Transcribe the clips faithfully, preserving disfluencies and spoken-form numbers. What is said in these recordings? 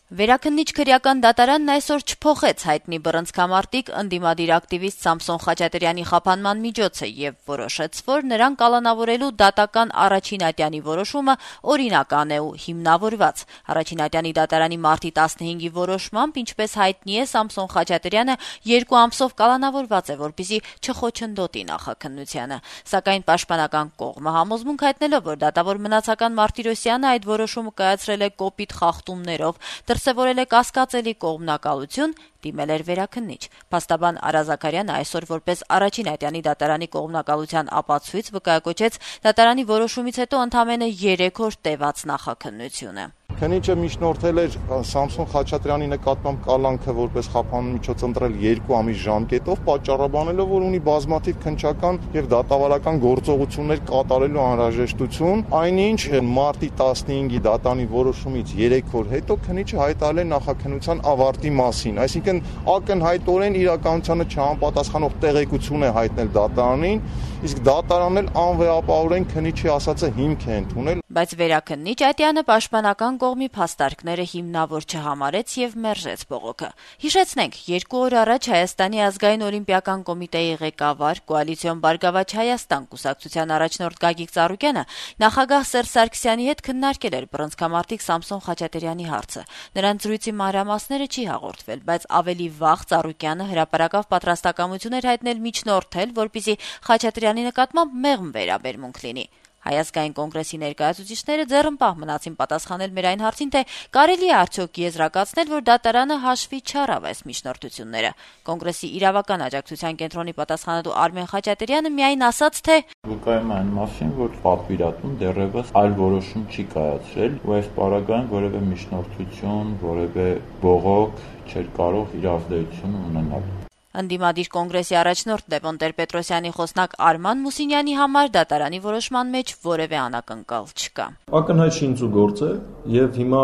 Վերաքննիչ քրեական դատարանն այսօր չփոխեց հայտնի բռնցքամարտիկ ընդդիմադիր ակտիվիստ Սամսոն Խաչատրյանի խափանման միջոցը եւ որոշեց, որ նրան կալանավորելու դատական առաջին ատյանի որոշումը օրինական է ու հիմնավորված։ Առաջին ատյանի դատարանի մարտի տասնհինգի որոշմամբ, ինչպես հայտնի է, Սամսոն Խաչատրյանը երկու ամսով կալանավորված է, որպեսզի չխոչընդոտի նախաքննությանը։ Սակայն պաշտպանական կողմը համոզմունք հայտնելով, որ դատավոր Մնացական Մարտիրոսյանը այդ որոշումը կայացրել է կոպիտ խախտումներով, դրսևորել է կասկածելի կողմնակալություն, դիմել էր վերաքննիչ։ Փաստաբան Արա Զաքարյանը այսօր որպես առաջին ատյանի դատարանի կողմնակալության ապացույց վկայակոչեց դատարանի որոշումից հետո ընդամենը երեք օր տևած նախաքննությունը։ Քննիչը միջնորդել էր Սամսոն Խաչատրյանի նկատմամբ կալանքը որպես խափանման միջոց ընտրել երկու ամիս ժամկետով, պատճառաբանելով, որ ունի բազմաթիվ քննչական եւ դատավարական գործողություններ կատարելու անհրաժեշտություն, այնինչ մարտի տասնհինգի դատանի որոշումից երեք օր հետո քննիչը հայտարարել է նախաքննության ավարտի մասին, այսինքն ակնհայտորեն իրականությանը չհամապատասխանող տեղեկություն է հայտնել դատարանին, իսկ դատարանն էլ անվեհապահորեն քննիչի ասածը հիմք է ընդունել։ Բայց վերաքննիչ ատյանը պաշտպանական կողմի փաստարկները հիմնավոր չհամարեց եւ մերժեց բողոքը։ Հիշեցնենք, երկու օր առաջ Հայաստանի ազգային օլիմպիական կոմիտեի ղեկավար, Կոալիցիոն Բարգավաճ Հայաստան կուսակցության առաջնորդ Գագիկ Ծառուկյանը նախագահ Սերժ Սարգսյանի հետ քննարկել էր բռնցքամարտիկ Սամսոն Խաչատրյանի հարցը։ Նրանց զրույցի մանրամասները չի հաղորդվել, բայց ավելի վաղ Ծառուկյանը հրապարակավ պատրաստակամություն էր հայտնել միջնորդել, որպեսզի Խաչատրյանի նկատմամբ մեղմ վերաբերմունք լինի։ Հայ ազգային կոնգրեսի ներկայացուցիչները ձեռնպահ մնացին պատասխանել մեր այն հարցին, թե կարելի է արդյոք եզրակացնել, որ դատարանը հաշվի չառավ այս միջնորդությունները։ Կոնգրեսի իրավական աջակցության կենտրոնի պատասխանատու Արմեն Խաչատրյանը միայն ասաց, թե վկայում է այն մասին, որ պատվիրատուն դեռևս այլ որոշում չի կայացրել, ու այս պարագայում որևէ միջնորդություն, որևէ բողոք չէր կարող իր ազդեցություն ունենալ։ Ընդդիմադիր կոնգրեսի առաջնորդ Լևոն Տեր-Պետրոսյանի խոսնակ Արման Մուսինյանի համար դատարանի որոշման մեջ որևէ անակնկալ չկա։ Ակնհայտ շինծու գործ է եւ հիմա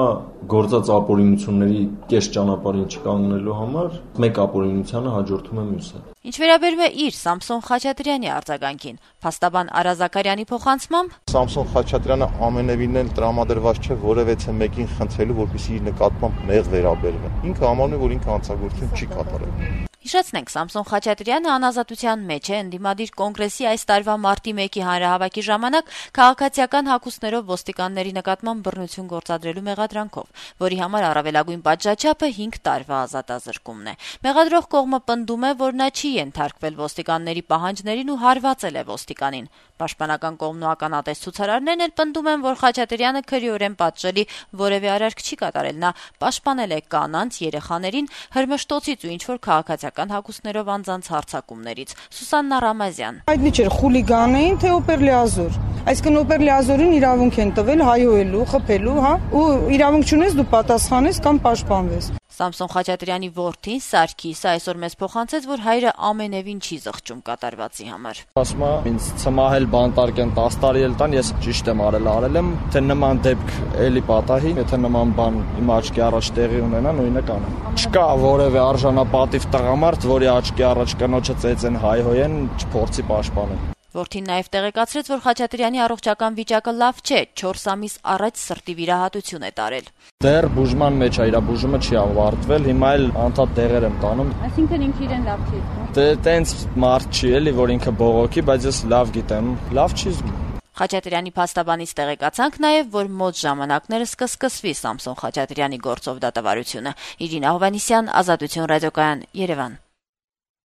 գործած ապօրինությունների կես ճանապարհին չկանգնելու համար մեկ ապօրինությանը հաջորդում է մյուսը։ Ինչ վերաբերում է իր Սամսոն Խաչատրյանի արձագանքին, փաստաբան Արա Զաքարյանի փոխանցմամբ Սամսոն Խաչատրյանը ամենևին էլ տրամադրված չէ որևէ մեկին խնդրելու, որպեսզի իր նկատմամբ մեղ վերաբերվի։ Ինքը համարում է, որ ինքը հանցագործություն չի կատարել։ Հիշեցնենք, Սամսոն Խաչատրյանը անազատության մեջ է ընդդիմադիր կոնգրեսի այս տարվա մարտի մեկի հանրահավաքի ժամանակ քաղաքացիական հագուստներով ոստիկանների նկատմամբ բռնություն գործադրելու մեղադրանքով, որի համար առավելագույն պատժաչափը հինգ տարվա ազատազրկումն է։ Մեղադրող կողմը պնդում է, որ նա չի ենթարկվել ոստիկանների պահանջներին ու հարվածել է ոստիկանին։ Պաշտպանական կողմն ու ականատես ցուցարարներն էլ պնդում են, որ Խաչատրյանը քրեորեն պատժելի որևէ արարք չի կատարել, նա պաշտպանել է կանանց, երեխաներին, հրմշտոցից ու ինչ-որ քաղաքացիական հագուստներով անձանց հարձակումներից։ Սուսաննա Ռամազյան։ Հայտնի չէր խուլիգան էին, թե օպերլիազոր։ Այսինքն օպերլիազորին իրավունք են տվել հայհոյելու, խփելու, հա, ու իրավունք չունես դու պատասխանես կամ պաշտպանվես։ Սամսոն Խաչատրյանի որդին Սարգիսը այսօր մեզ փոխանցեց, որ հայրը ամենևին չի զղջում կատարվածի համար։ Ասում է, ինձ ցմահել բանտարկեն տասը տարի էլ տան, ես ճիշտ եմ արել, արել եմ, թե նման դեպք էլի պատահի, եթե նման բան իմ աչքի առաջ տեղի ունենա, նույնը կանեմ։ Չկա որևէ արժանապատիվ տղամարդ, որի աչքի առաջ կնոջը ծեծեն հայհոյեն, չփորձի պաշտպանել։ Որդին նաև տեղեկացրեց, որ Խաչատրյանի առողջական վիճակը լավ չէ, չորս ամիս առաջ սրտի վիրահատություն է տարել։ Դեռ բուժման մեջ է, իր բուժումը չի ավարտվել, հիմա էլ անդադ դեղեր եմ տանում։ Այսինքն ինքը իրեն լավ չի զգում։ Դե տենց մարդ չի էլի, որ ինքը բողոքի, բայց ես լավ գիտեմ, լավ չի զգում։ Խաչատրյանի փաստաբանից տեղեկացանք նաև, որ մոտ ժամանակներս կսկսվի Սամսոն Խաչատրյանի գործով դատավարությունը։ Իրինա Հովհաննիսյան, Ազատություն ռադիոկայան, Երևան։